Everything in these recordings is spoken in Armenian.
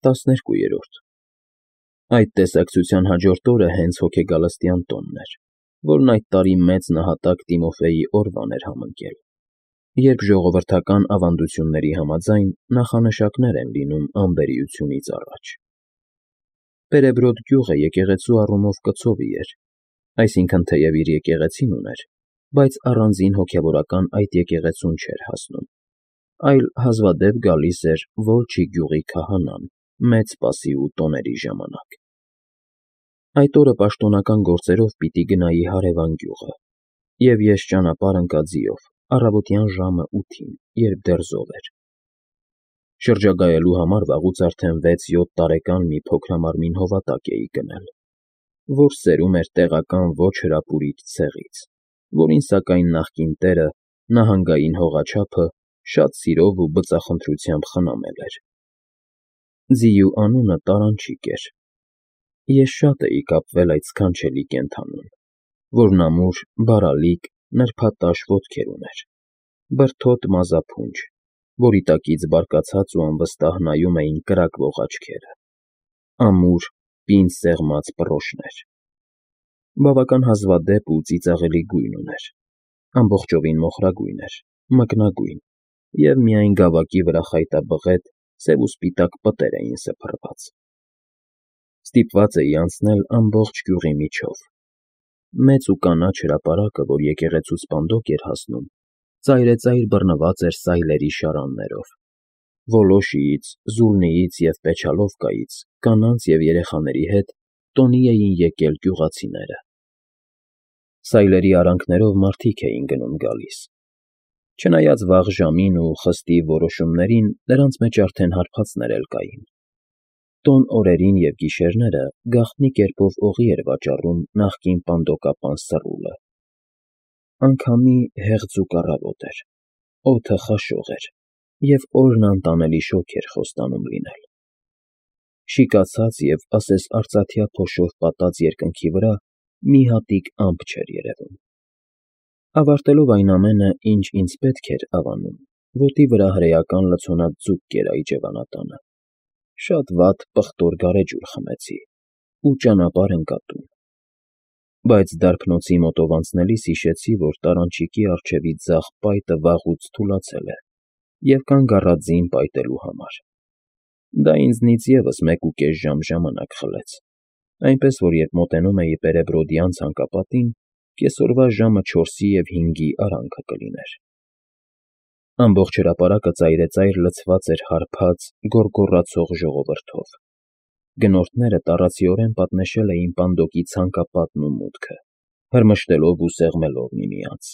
12 Այդ տեսակցության հաջորդ օրը հենց հոգեգալստյան տոնն էր, որն այդ տարի մեծ նահատակ Տիմոֆեյի օրվան էր համընկել, երբ ժողովրդական ավանդությունների համաձայն նախանշաններ են լինում անբերիությունից առաջ։ Պերեբրոդ գյուղը եկեղեցու առումով կցովի էր, այսինքն թեև իր եկեղեցին ուներ, բայց առանձին հոգևորական այդ եկեղեցուն չէր հասնում, այլ հազվադեպ գալիս էր Վոլչի գյուղի քահանան մեծ սպասի ու տոների ժամանակ։ Այդ օրը պաշտոնական գործերով պիտի գնայի հարևան գյուղը, և ես ճանապարհ ընկա ձիով, առավոտյան ժամը 8-ին, երբ դեռ զով էր։ Շրջագայելու համար վաղուց արդեն 6-7 տարեկան մի փոքրամարմին հովատակ էի գնել, որ սերում էր տեղական ոչ հրապուրիչ ցեղից, որին սակայն նախկին տերը նահանգային հողաչափը շատ սիրով ու բծախնդրությամբ խնամել էր։ Ձիու անունը Տարանչիկ էր։ Ես շատ էի կապվել այդ սքանչելի կենդանուն, որն ամուր, բարալիկ, նրբատաշ ոտքեր ուներ, բրդոտ մազափունջ, որի տակից բարկացած ու անվստահ նայում էին կրակվող աչքերը, ամուր, պինդ սեղմած պռոշներ։ Բավական հազվադեպ ու ծիծաղելի գույն ուներ, ամբողջովին մոխրագույն էր, մկնագույն, և միայն գավակի վրա խայտաբղետ, սև ու սպիտակ պտեր էին սփռված։ Ստիպված էի անցնել ամբողջ գյուղի միջով։ Մեծ ու կանաչ հրապարակը, որ եկեղեցու սպանդոկ էր հասնում, ծայրեծայր բռնված էր սայլերի շարաններով։ Վոլոշիից, Զուլնիից և Պեչալովկայից կանանց և երեխաների հետ տոնի էին եկել գյուղացիները։ Սայլերի արանքներով մարդիկ էին գնում֊գալիս։ Չնայած վաղ ժամին ու խստի որոշումներին, նրանց մեջ արդեն հարբածներ էլ կային։ Տոն օրերին և գիշերները գաղտնի կերպով օղի էր վաճառում նախկին պանդոկապան Սռուլը։ Անգամի հեղձուկ առավոտ էր, օդը խաշող էր, և օրն անտանելի շոգ էր խոստանում լինել։ Շիկացած և ասես արծաթյա փոշով պատած երկնքի վրա մի հատիկ ամպ չէր երևում։ Ավարտելով այն ամենը, ինչ ինձ պետք էր Ավանում, ոտի վրա հրեական լցոնած ձուկ կերայի ջևանատանը, շատ վատ պղտոր գարեջուր խմեցի ու ճանապարհ ընկա տուն։ Բայց դարբնոցի մոտով անցնելիս հիշեցի, որ Տարանչիկի առջևի ձախ պայտը վաղուց թուլացել է և կանգ առա ձին պայտելու համար։ Դա ինձնից ևս 1.5 ժամ ժամանակ խլեց, այնպես որ երբ մոտենում էի Պերեբրոդյան ցանկապատին, կեսօրվա ժամը 4-ի և 5-ի արանքը կլիներ։ Ամբողջ հրապարակը ծայրեծայր լցված էր հարբած, գոռգոռացող ժողովրդով։ Գնորդները տառացիորեն պատնեշել էին պանդոկի ցանկապատն ու մուտքը, հրմշտելով ու սեղմելով միմյանց։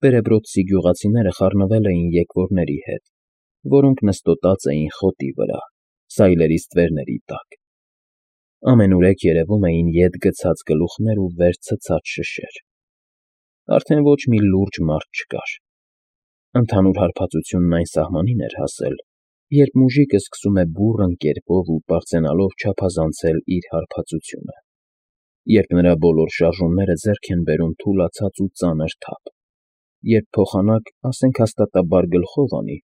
Պերեբրոդցի գյուղացիները խառնվել էին եկվորների հետ, որոնք նստոտած էին խոտի վրա, սայլերի ստվերների տակ։ Ամենուրեք երևում էին ետ գցած գլուխներ ու վեր ցցած շշեր։ Արդեն ոչ մի լուրջ մարդ չկար։ Ընդհանուր հարբածությունն այն սահմանին էր հասել, երբ մուժիկը սկսում է բուռն կերպով ու պարծենալով չափազանցել իր հարբածությունը, երբ նրա բոլոր շարժումները ձեռք են բերում թուլացած ու ծանր թափ, երբ փոխանակ, ասենք հաստատաբար գլխով անի,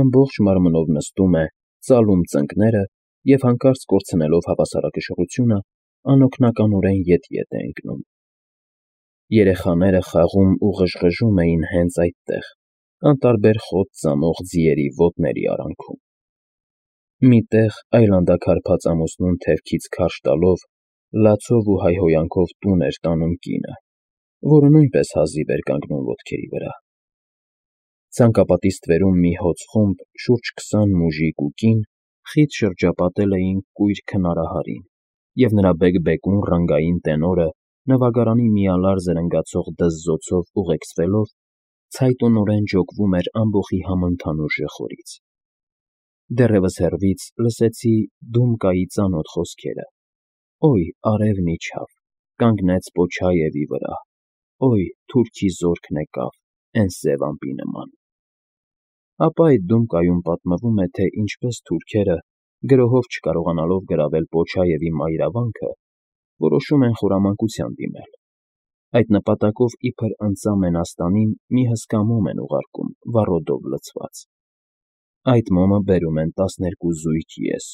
ամբողջ մարմնով նստում է, ծալում ծնկները և հանկարծ կորցնելով հավասարակշռությունը, անօգնականորեն ետ-ետ է ընկնում։ Երեխաները խաղում ու ղժղժում էին հենց այդտեղ, անտարբեր խոտ ծամող ձիերի ոտների արանքում։ Մի տեղ այլանդակարփած ամուսնուն թևքից քարշ տալով, լացով ու հայհոյանքով տուն էր տանում կինը, որը նույնպես հազիվ էր կանգնում ոտքերի վրա։ Ցանկապատի ստվերում մի հոծ խումբ, շուրջ 20 մուժիկ ու կին, խիտ շրջապատել էին կույր քնարահարին, և նրա բեկ֊բեկուն ռանգային տենորը, նվագարանի միալար զրնգացող դզզոցով ուղեկցվելով, ցայտունորեն ջոկվում էր ամբոխի համընդհանուր ժխորից։ Դեռևս հեռվից լսեցի Դումկայի ծանոթ խոսքերը. «Օյ, արևն իջավ, կանգնեց Պոչաևի վրա, օյ, թուրքի զորքն եկավ, էն սև ամպի նման»։ Ապա այդ Դումկայում պատմվում է, թե ինչպես թուրքերը, գրոհով չկարողանալով գրավել Պոչաևի մայրավանքը, որոշում են խորամանկության դիմել։ Այդ նպատակով իբր ընծա Մենաստանին մի հսկա մոմ են ուղարկում վառոդով լցված։ Այդ մոմը բերում են 12 զույգ ես,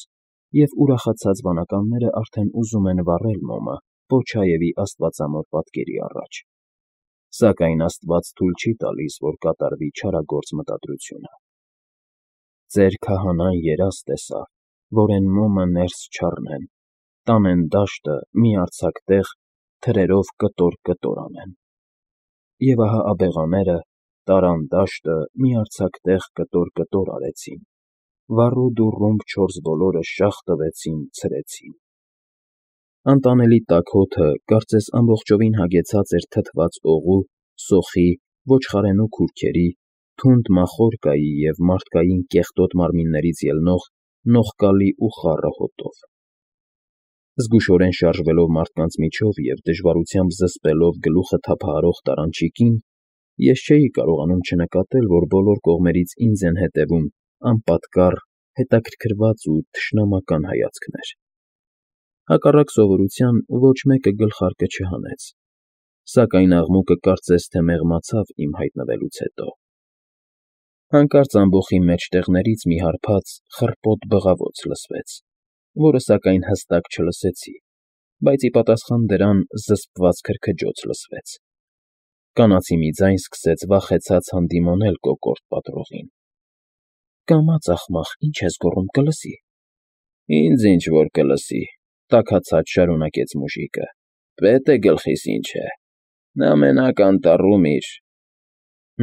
և ուրախացած վանականները արդեն ուզում են վառել մոմը Պոչաևի աստվածամոր պատկերի առաջ, սակայն Աստված թույլ չի տալիս, որ կատարվի չարագործ մտադրությունը։ Ձեր քահանան երազ տեսավ, որ են մոմը ներս չառնեն, տանեն դաշտը մի արձակ տեղ, թրերով կտոր անեն։ Եվ ահա աբեղաները տարան դաշտը մի արձակ տեղ կտոր արեցին, վառուդ ու ռումբ 4 բոլորը շաղ տվեցին, ցրեցին։ Անտանելի տաք հոթը կարծես ամբողջովին հագեցած էր թթված օղու, սոխի, ոչխարենու քուրքերի, թունդ մախորկայի և մարդկային կեղտոտ մարմիններից ելնող նողկալի ու խառը հոտով։ Զգուշորեն շարժվելով մարդկանց միջով և դժվարությամբ զսպելով գլուխը թափահարող տարանչիկին, ես չէի կարողանում չնկատել, որ բոլոր կողմերից ինձ են հետևում անպատկառ, հետաքրքրված ու թշնամական հայացքներ։ Հակառակ սովորության ոչ մեկը գլխարկը չհանեց, սակայն աղմուկը կարծես թե մեղմացավ իմ հայտնվելուց հետո։ Հանկարծ ամբոխի մեջտեղներից մի հարբած, խռպոտ բղավոց լսվեց, որը սակայն հստակ չլսեցի, բայց ի պատասխան դրան զսպված քրքջոց լսվեց։ Կանացի մի ձայն սկսեց վախեցած հանդիմոնել կոկորդ պատրողին։ «Կամաց, ախմախ, ինչ ես գոռում, կլսի»։ «Ինձ ինչ որ կլսի», տաքացած շարունակեց մուժիկը։ «Պետ է գլխիս ինչ է։ Նա մենակ անտառում իր…»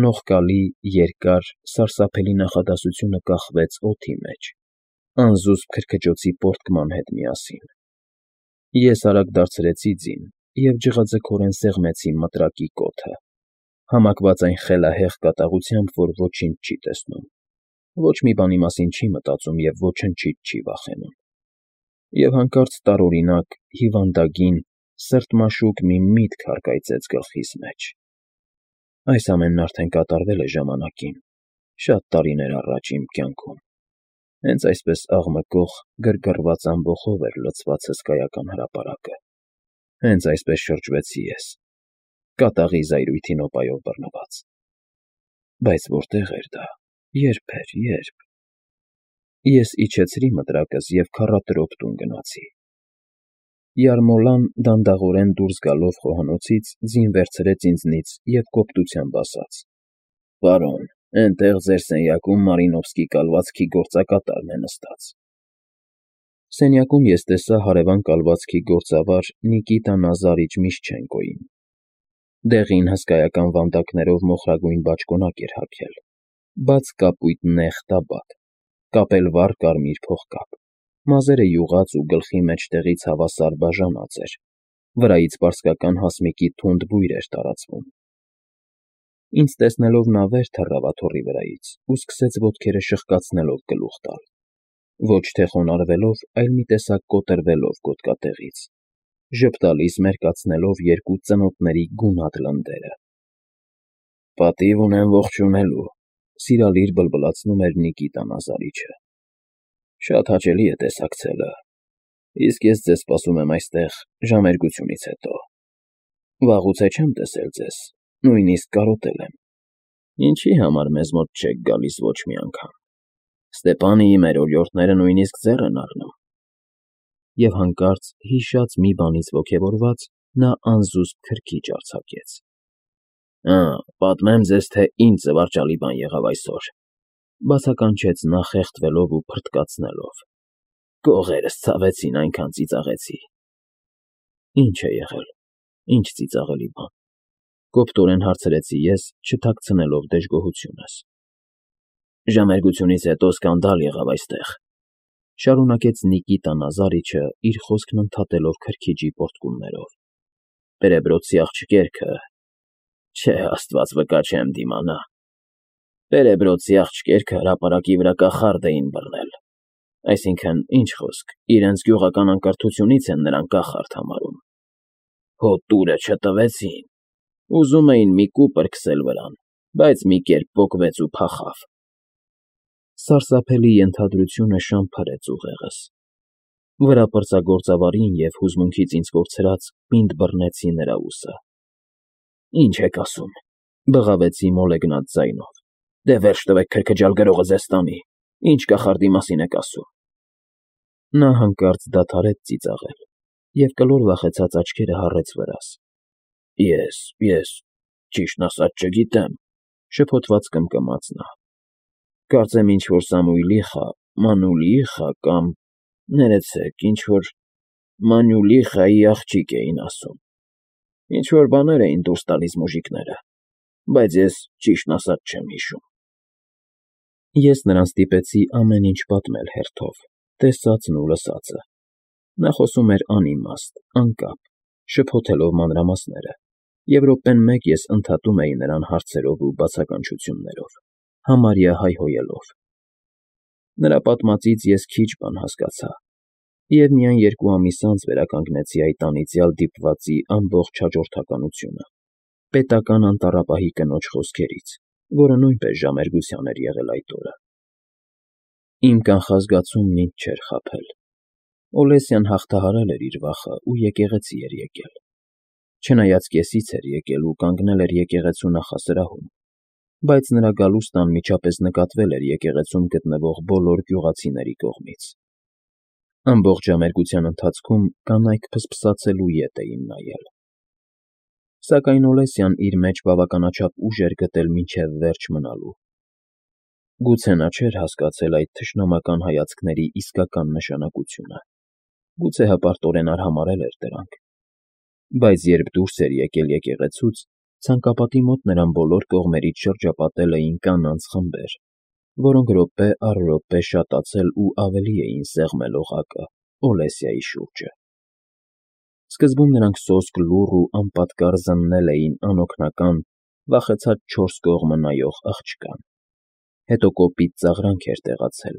Նողկալի, երկար, սարսափելի նախադասությունը կախվեց օդի մեջ, անզուսպ քրքջոցի պոռթկման հետ միասին։ Ես արագ դարձրեցի ձին և ջղաձգորեն սեղմեցի մտրակի կոթը, համակված այն խելահեղ կատաղությամբ, որ ոչինչ չի տեսնում, ոչ մի բանի մասին չի մտածում և ոչնչից չի վախենում։ Եվ հանկարծ տարօրինակ, հիվանդագին, սրտմաշուկ մի միտք հառկայծեց գլխիս մեջ։ Այս ամենն արդեն կատարվել է ժամանակին, շատ տարիներ առաջ իմ կյանքում։ Հենց այսպես աղմկող, գրգռված ամբոխով էր լցված հսկայական հրապարակը։ Հենց այսպես շրջվեցի ես, կատաղի զայրույթի նոպայով բռնված։ Բայց որտե՞ղ էր դա, ե՞րբ էր, ե՞րբ։ Ես իջեցրի մտրակս և քառատրոպ տուն գնացի։ Յարմոլան դանդաղորեն դուրս գալով խոհանոցից ձին վերցրեց ինձնից և կոպտությամբ ասաց. «Պարոն, էնտեղ ձեր սենյակում Մարինովսկի կալվածքի գործակատարն է նստած»։ Սենյակում ես տեսա հարևան կալվածքի գործավար Նիկիտա Նազարիչ Միշչենկոյին։ Դեղին հսկայական վանդակներով մոխրագույն բաճկոնակ էր հագել, բաց կապույտ նեղ տաբատ, կապել վառ կարմիր փողկապ, մազերը յուղած ու գլխի մեջտեղից հավասար բաժանած էր, վրայից պարսկական հասմիկի թունդ բույր էր տարածվում։ Ինձ տեսնելով նա վեր թռավ աթոռի վրայից ու սկսեց ոտքերը շրխկացնելով գլուխ տալ, ոչ թե խոնարհվելով, այլ մի տեսակ կոտրվելով գոտկատեղից, ժպտալիս մերկացնելով երկու ծնոտների գունատ լնդերը։ «Պատիվ ունեմ ողջունելու», սիրալիր բլբլացնում էր Նիկիտա Նազարիչը։ «Շատ հաճելի է տեսակցելը, իսկ ես ձեզ սպասում եմ այստեղ ժամերգությունից հետո։ Վաղուց է չեմ տեսել ձեզ, նույնիսկ կարոտել եմ։ Ինչի համար մեզ մոտ չեք գալիս ոչ մի անգամ։ Ստեպանիի մեր օրիորդները նույնիսկ ձեռ են առնում»։ Եվ հանկարծ, հիշած մի բանից ոգևորված, նա անզուսպ քրքիջ արձակեց։ «Պատմեմ ձեզ, թե ինչ զվարճալի բան եղավ այսօր», բացականչեց նա խեղդվելով ու փռթկացնելով։ «Կողերս ցավեցին, այնքան ծիծաղեցի»։ «Ինչ է եղել, ինչ ծիծաղելի բան», կոպտորեն հարցրեցի ես, չթաքցնելով դժգոհությունս։ «Ժամերգությունից հետո սկանդալ եղավ այստեղ», շարունակեց Նիկիտա Նազարիչը, իր խոսքն ընդհատելով քրքիջի պոռթկումներով։ «Պերեբրոձի աղջիկերքը… Չէ, Աստված վկա, չեմ դիմանա… Պերեբրոձի աղջիկերքը հրապարակի վրա կախարդ էին բռնել, այսինքն, ինչ խոսք, իրենց գյուղական անկրթությունից են նրան կախարդ համարում։ Հո տուրը չտվեցին, ուզում էին մի կուպր քսել վրան, բայց մի կերպ պոկվեց ու փախավ»։ Սարսափելի ենթադրությունը շամփրեց ուղեղս։ Վրապրծագործավարին և հուզմունքից ինձ կորցրած պինդ բռնեցի նրա ուսը։ «Ինչ եք ասում», բղավեցի մոլեգնած ձայնով։ «Դե վերջ տվեք քրքջալ, գրողը ձեզ տանի։ Ինչ կախարդի մասին եք ասում»։ Նա հանկարծ դադարեց ծիծաղել և կլոր վախեցած աչքերը հառեց վրաս։ Ես, ճիշտն ասած, չգիտեմ,֊ շփոթված կմկմաց նա։ Կարծեմ ինչ֊որ Սամուիլիխա, Մանուլիխա կամ, ներեցեք, ինչ֊որ Մանյուլիխայի աղջիկ էին ասում, ինչ֊որ բաներ էին դուրս տալիս մուժիկները, բայց ես, ճիշտն ասած, չեմ հիշում։ Ես նրան ստիպեցի ամեն ինչ պատմել հերթով, տեսածն ու լսածը։ Նա խոսում էր անիմաստ, անկապ, շփոթելով մանրամասները, և րոպեն մեկ ես ընդհատում էի նրան հարցերով ու բացականչություններով, համարյա հայհոյելով։ Նրա պատմածից ես քիչ բան հասկացա, և միայն 2 ամիս անց վերականգնեցի այդ անիծյալ դիպվածի ամբողջ հաջորդականությունը, պետական անտառապահի կնոջ խոսքերից, որը նույնպես ժամերգության էր եղել այդ օրը։ Իմ կանխազգացումն ինձ չէր խաբել։ Օլեսյան հաղթահարել էր իր վախը ու եկեղեցի էր եկել։ Չնայած կեսից էր եկել ու կանգնել էր եկեղեցու նախասրահում, բայց նրա գալուստն անմիջապես նկատվել էր եկեղեցում գտնվող բոլոր գյուղացիների կողմից։ Ամբողջ ժամերգության ընթացքում կանայք փսփսացելու ետ էին նայել։ Սակայն Օլեսյան իր մեջ բավականաչափ ուժ էր գտել մինչև վերջ մնալու։ Գուցե նա չէր հասկացել այդ թշնամական հայացքների իսկական նշանակությունը, գուցե հպարտորեն արհամարհել էր դրանք, բայց երբ դուրս էր եկել եկեղեցուց, ցանկապատի մոտ նրան բոլոր կողմերից շրջապատել էին կանանց խմբեր, որոնք րոպե առ րոպե շատացել ու ավելի էին սեղմել օղակը Օլեսիայի շուրջը։ Սկզբում նրանք սոսկ լուռ ու անպատկառ զննել էին անօգնական, վախեցած 4 կողմը նայող աղջկան, հետո կոպիտ ծաղրանք էր տեղացել,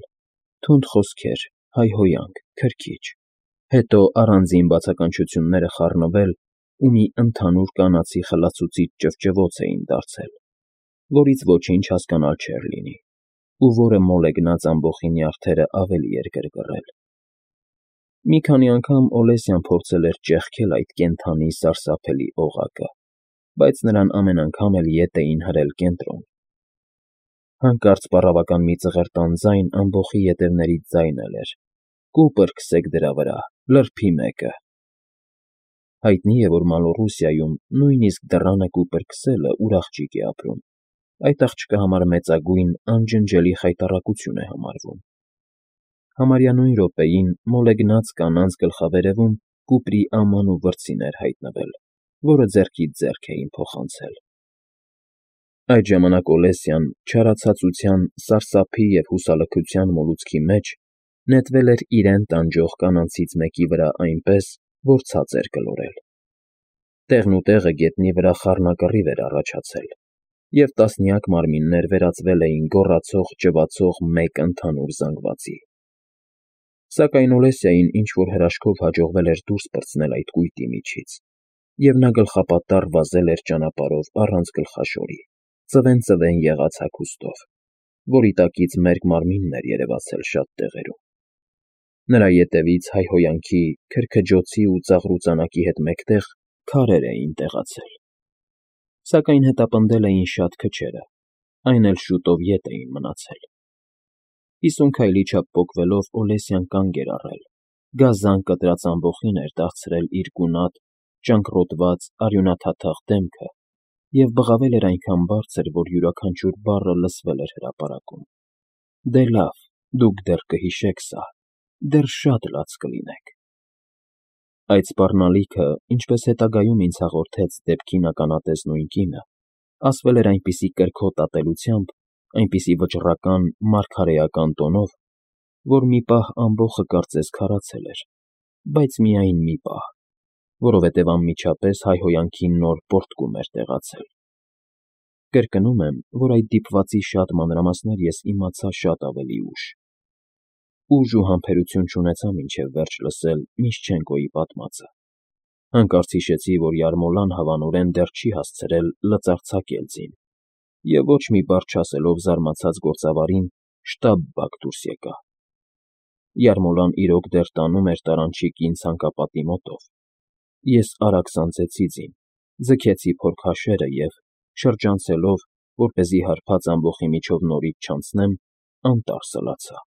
թունդ խոսքեր, հայհոյանք, քրքիջ, հետո առանձին բացականչությունները խառնվել ու մի ընդհանուր կանացի խլացուցիչ ճվճվոց էին դարձել, որից ոչինչ հասկանալ չէր լինի, ու որը մոլեգնած ամբոխի նյարդերը ավելի էր գրգռել։ Մի քանի անգամ Օլեսյան փորձել էր ճեղքել այդ կենդանի սարսափելի օղակը, բայց նրան ամեն անգամ էլ ետ էին հրել կենտրոն։ Հանկարծ պառավական մի ծղրտան ձայն ամբոխի ետևներից ձայնել էր. «Կուպր քսեք դրա վրա, լրբի մեկը»։ Հայտնի է, որ Մալոռուսիայում նույնիսկ դռանը կուպր քսելը ուր աղջիկ է ապրում, այդ աղջկա համար մեծագույն, անջնջելի խայտառակություն է համարվում։ Համարյա նույն րոպեին մոլեգնած կանանց գլխավերևում կուպրի աման ու վրձին էր հայտնվել, որը ձեռքից ձեռք էին փոխանցել։ Այդ ժամանակ Օլեսյան, չարացածության, սարսափի և հուսալքության մոլուցքի մեջ, նետվել էր իրեն տանջող կանանցից մեկի վրա այնպես, որ ցած էր կլորել։ Տեղնուտեղը գետնի վրա խառնակռիվ էր առաջացել, և տասնյակ մարմիններ վերածվել էին գոռացող, ճվացող մեկ ընդհանուր զանգվածի։ Սակայն Օլեսիային ինչ֊որ հրաշքով հաջողվել էր դուրս պրծնել այդ կույտի միջից, և նա գլխապատառ վազել էր ճանապարհով առանց գլխաշորի, ծվեն եղած հագուստով, որի տակից մերկ մարմինն էր երևացել շատ տեղերում։ Նրա ետևից հայհոյանքի, քրքջոցի ու ծաղրուծանակի հետ մեկտեղ քարեր էին տեղացել։ Սակայն հետապնդել էին շատ քչերը, այն էլ շուտով ետ էին մնացել։ 50 քայլի չափ պոկվելով Օլեսյան կանգ էր առել, գազան կտրած ամբոխին էր դարձրել իր գունատ, ճանկռոտված, արյունաթաթախ դեմքը և բղավել էր այնքան բարձր, որ յուրաքանչյուր բառը լսվել էր հրապարակում. «Դե լավ, դուք դեռ կհիշեք սա, դեռ շատ լաց կլինեք»։ Այդ սպառնալիքը, ինչպես հետագայում ինձ հաղորդեց դեպքին ականատես նույն կինը, ասվել էր այնպիսի կրքոտ ատելությամբ, այնպիսի վճռական, մարգարեական տոնով, որ մի պահ ամբոխը կարծես քարացել էր, բայց միայն մի պահ, որովհետև անմիջապես հայհոյանքի նոր պոռթկում էր տեղացել։ Կրկնում եմ, որ այդ դիպվածի շատ մանրամասներ ես իմացա շատ ավելի ուշ։ Ուժ ու համբերություն չունեցա մինչև վերջ լսել Միշչենկոյի պատմածը։ Հանկարծ հիշեցի, որ Յարմոլան հավանորեն դեռ չի հասցրել լծարձակել ձին, և ոչ մի բառ չասելով զարմացած գործավարին շտապ բակ դուրս եկա։ Յարմոլան իրոք դեռ տանում էր տարանչիկին ցանկապատի մոտով։ Ես արագ սանձեցի ձին, ձգեցի փորքհաշերը և, շրջանցելով, որպեսզի հարբած ամբոխի միջով նորից չանցնեմ, անտառ սլացա։